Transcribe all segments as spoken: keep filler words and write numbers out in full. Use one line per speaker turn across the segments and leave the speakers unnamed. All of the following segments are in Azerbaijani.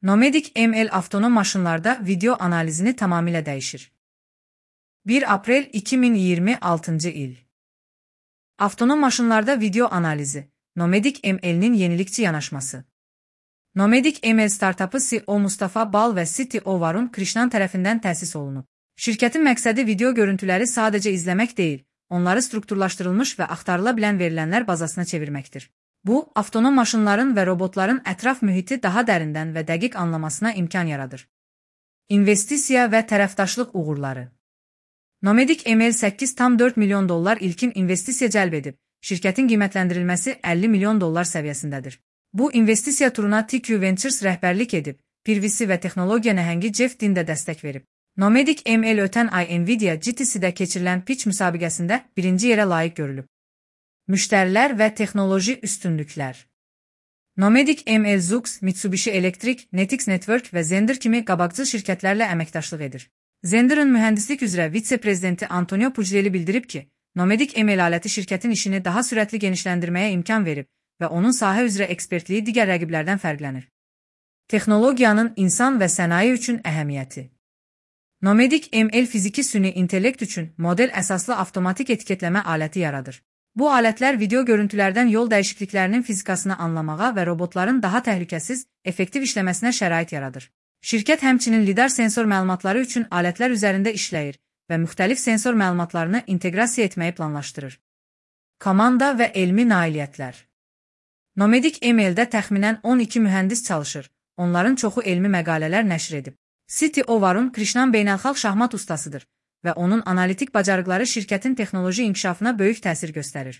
Nomadic M L avtonom maşınlarda video analizini tamamilə dəyişir. bir aprel iki min iyirmi altıncı il. Avtonom maşınlarda video analizi, Nomadic M L'nin yenilikçi yanaşması. Nomadic M L startapı C E O Mustafa Bal və C T O Varun Krishnan tərəfindən təsis olunub. Şirkətin məqsədi video görüntüləri sadəcə izləmək deyil, onları strukturlaşdırılmış və axtarıla bilən verilənlər bazasına çevirməkdir. Bu, avtonom maşınların və robotların ətraf mühiti daha dərindən və dəqiq anlamasına imkan yaradır. İnvestisiya və tərəfdaşlıq uğurları. Nomadic M L səkkiz tam dörd milyon dollar ilkin investisiya cəlb edib, şirkətin qiymətləndirilməsi əlli milyon dollar səviyyəsindədir. Bu investisiya turuna T Q Ventures rəhbərlik edib, P V C və texnologiya nəhəngi Jeff Dean də dəstək verib. Nomadic M L ötən ay Nvidia G T C-də keçirilən pitch müsabiqəsində birinci yerə layiq görülüb. Müştərilər və texnoloji üstünlüklər. Nomadic M L Zoox, Mitsubishi Electric, Netix Network və Zender kimi qabaqcıl şirkətlərlə əməkdaşlıq edir. Zender'ın mühəndislik üzrə vitse-prezidenti Antonio Puglieli bildirib ki, Nomadic M L aləti şirkətin işini daha sürətli genişləndirməyə imkan verib və onun sahə üzrə ekspertliyi digər rəqiblərdən fərqlənir. Texnologiyanın insan və sənaye üçün əhəmiyyəti. Nomadic M L fiziki süni intellekt üçün model əsaslı avtomatik etiketləmə aləti yaradır. Bu alətlər video görüntülərdən yol dəyişikliklərinin fizikasını anlamağa və robotların daha təhlükəsiz, effektiv işləməsinə şərait yaradır. Şirkət həmçinin lidar sensor məlumatları üçün alətlər üzərində işləyir və müxtəlif sensor məlumatlarını inteqrasiya etməyi planlaşdırır. Komanda və elmi nailiyyətlər. Nomadic M L-də təxminən on iki mühəndis çalışır, onların çoxu elmi məqalələr nəşr edib. C T O Varun Krishnan beynəlxalq şahmat ustasıdır və onun analitik bacarıqları şirkətin texnoloji inkişafına böyük təsir göstərir.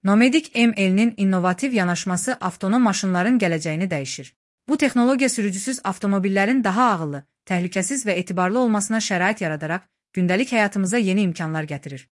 Nomadic M L'nin innovativ yanaşması avtonom maşınların gələcəyini dəyişir. Bu texnologiya sürücüsüz avtomobillərin daha ağıllı, təhlükəsiz və etibarlı olmasına şərait yaradaraq gündəlik həyatımıza yeni imkanlar gətirir.